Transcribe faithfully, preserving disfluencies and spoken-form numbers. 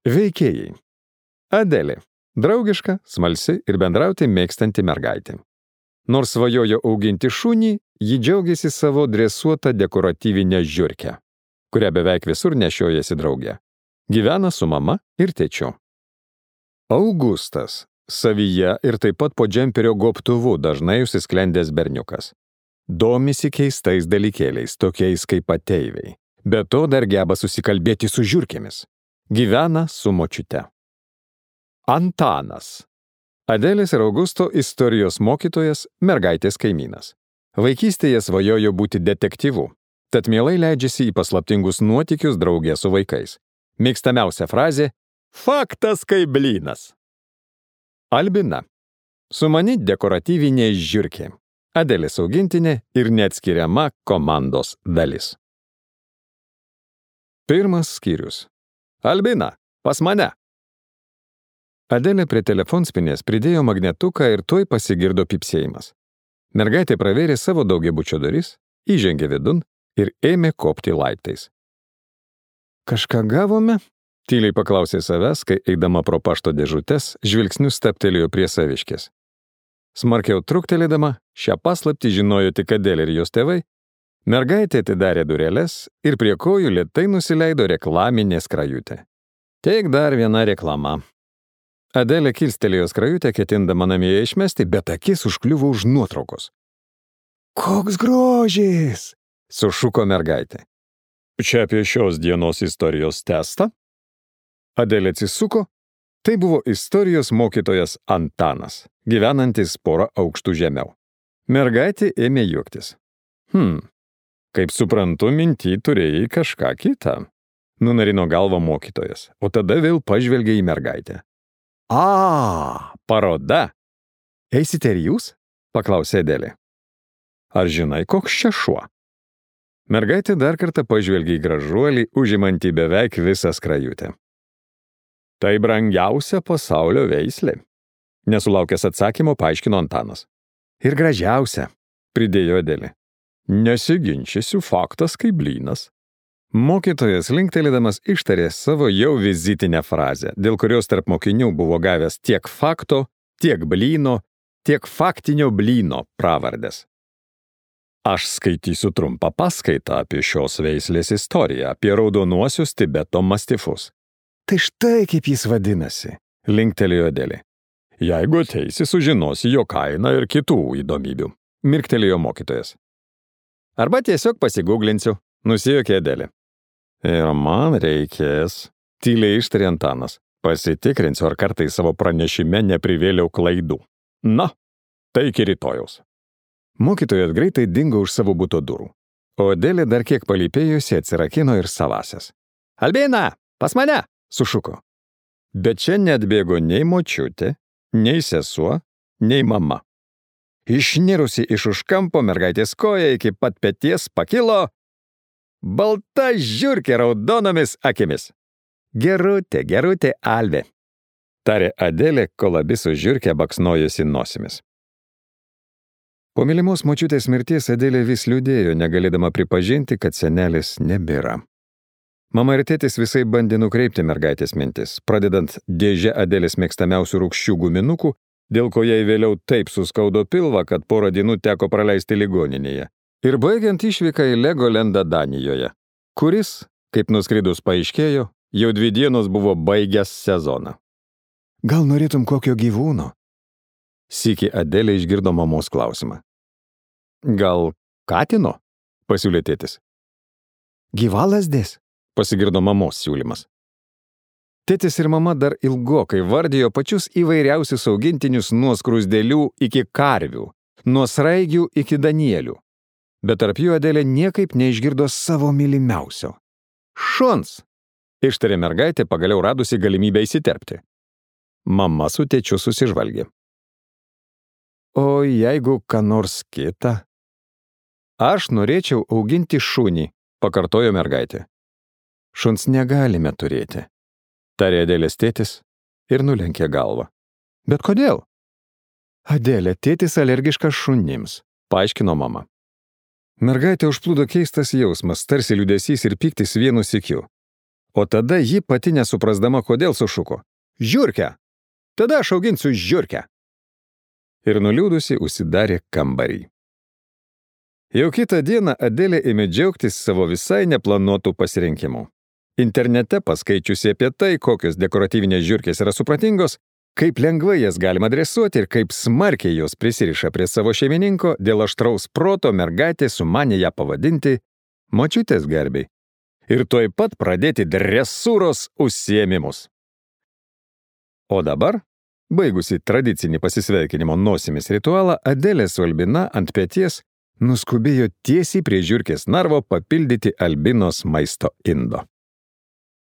Veikėjai. Adelė. Draugiška, smalsi ir bendrauti mėgstanti mergaitė. Nors svajojo auginti šunį, ji džiaugiasi savo dresuotą dekoratyvinę žiurkę, kurią beveik visur nešiojasi drauge. Gyvena su mama ir tėčiu. Augustas. Savyje ir taip pat po džemperio gobtuvu dažnai užsisklendęs berniukas. Domisi keistais dalykėliais, tokiais kaip ateiviai. Be to dar geba susikalbėti su žiurkėmis. Gyvena su močiute. Antanas. Adelės ir Augusto istorijos mokytojas, mergaitės kaimynas. Vaikystėje svajojo būti detektyvu, tad mielai leidžiasi į paslaptingus nuotykius draugė su vaikais. Mėgstamiausia frazė – faktas kaip blynas. Albina. Sumani dekoratyvinė žiurkė. Adelės augintinė ir neatskiriama komandos dalis. Pirmas skyrius. Albina, pas mane. Adelė prie telefonspinės pridėjo magnetuką ir tuoj pasigirdo pypsėjimas. Mergaitė pravėrė savo daugiabučio duris, įžengė vidun ir ėmė kopti laiptais. Kažką gavome? Tyliai paklausė savęs, kai eidama pro pašto dėžutes, žvilgsniu staptelėjo prie saviškės. Smarkiau truktelėdama, šią paslaptį žinojo tik Adelė ir jos tėvai, mergaitė atidarė dureles ir prie kojų lėtai nusileido reklaminė skrajutė. Tik dar viena reklama. Adelė kilstelėjo skrajutę, ketindama namie išmesti, bet akis užkliuvo už nuotraukos. Koks grožis! Sušuko mergaitė. Čia apie šios dienos istorijos testą? Adelė atsisuko. Tai buvo istorijos mokytojas Antanas, gyvenantis porą aukštų žemiau. Mergaitė ėmė juoktis. Hm, kaip suprantu, minty turėjai kažką kitą. Nunarino galvą mokytojas, o tada vėl pažvelgė į mergaitę. A, paroda. Eisite ir jūs? Paklausė Adelė. Ar žinai, koks čia šuo? Mergaitė dar kartą pažvelgė į gražuolį, užimantį beveik visą skrajutę. Tai brangiausia pasaulio veislė. Nesulaukęs atsakymo, paaiškino Antanas. Ir gražiausia, pridėjo Adelė. Nesiginčysiu, faktas kaip blynas. Mokytojas linktelėdamas ištarė savo jau vizitinę frazę, dėl kurios tarp mokinių buvo gavęs tiek fakto, tiek blyno, tiek faktinio blyno pravardės. Aš skaitysiu trumpą paskaitą apie šios veislės istoriją, apie raudonuosius Tibeto mastifus. Tai štai kaip jis vadinasi, linktelėjo Adelė. Jeigu ateisi, sužinosi jo kainą ir kitų įdomybių, mirktelėjo mokytojas. Arba tiesiog pasigūglinsiu, nusijuokė Adelė. Ir man reikės, tyliai ištarė Antanas. Pasitikrinsiu, ar kartais savo pranešime neprivėliau klaidų. Na, tai iki rytojaus. Mokytojas greitai dingo už savo buto durų, o Adelė dar kiek palypėjusi atsirakino ir savasias. Albina, pas mane! Sušuko. Bet čia neatbėgo nei močiutė, nei sesuo, nei mama. Išnirusi iš už kampo mergaitės koja iki pat peties pakilo balta žiurkė raudonomis akimis. Gerutė, gerutė Alvė, tarė Adelė, kol abi su žiurke baksnojosi nosimis. Po mylimos močiutės mirties Adelė vis liūdėjo, negalėdama pripažinti, kad senelis nebėra. Mama ir tėtis visai bandė nukreipti mergaitės mintis, pradedant dėžę Adelės mėgstamiausių rūgščių guminukų, dėl ko jai vėliau taip suskaudo pilvą, kad porą dienų teko praleisti ligoninėje, ir baigiant išvyką į Legolendą Danijoje, kuris, kaip nuskridus paaiškėjo, jau dvi dienos buvo baigęs sezoną. Gal norėtum kokio gyvūno? Sykį Adelė išgirdo mamos klausimą. Gal katino? Pasiūlė tėtis. Gyvalazdės? Pasigirdo mamos siūlymas. Tėtis ir mama dar ilgokai vardijo pačius įvairiausius augintinius nuo skruzdėlių iki karvių, nuo sraigių iki danielių. Bet tarp jų Adelė niekaip neišgirdo savo mylimiausio. Šuns! Ištarė mergaitė, pagaliau radusi galimybę įsiterpti. Mama su tėčiu susižvalgė. O jeigu ką nors kita? Aš norėčiau auginti šunį, pakartojo mergaitė. Šuns negalime turėti, tarė Adelės tėtis ir nulenkė galvą. Bet kodėl? Adelė, tėtis alergiškas šunims, paaiškino mama. Mergaitė užplūdo keistas jausmas, tarsi liūdesys ir pyktis vienu sykiu. O tada ji pati nesuprasdama, kodėl sušuko: "Žiurkę! Tada aš auginsiu žiurkę!" Ir nuliūdusi užsidarė kambarį. Jau kitą dieną Adelė ėmė džiaugtis savo visai neplanuotų pasirinkimų. Internete paskaičiusi apie tai, kokios dekoratyvinės žiurkės yra supratingos, kaip lengvai jas galima dresuoti ir kaip smarkiai jos prisiriša prie savo šeimininko, dėl aštraus proto mergaitė sumanė ją pavadinti močiutės garbei ir tuoj pat pradėti dresūros užsiėmimus. O dabar, baigusi tradicinį pasisveikinimo nosimis ritualą, Adelė su Albina ant peties nuskubėjo tiesiai prie žiurkės narvo papildyti Albinos maisto indo.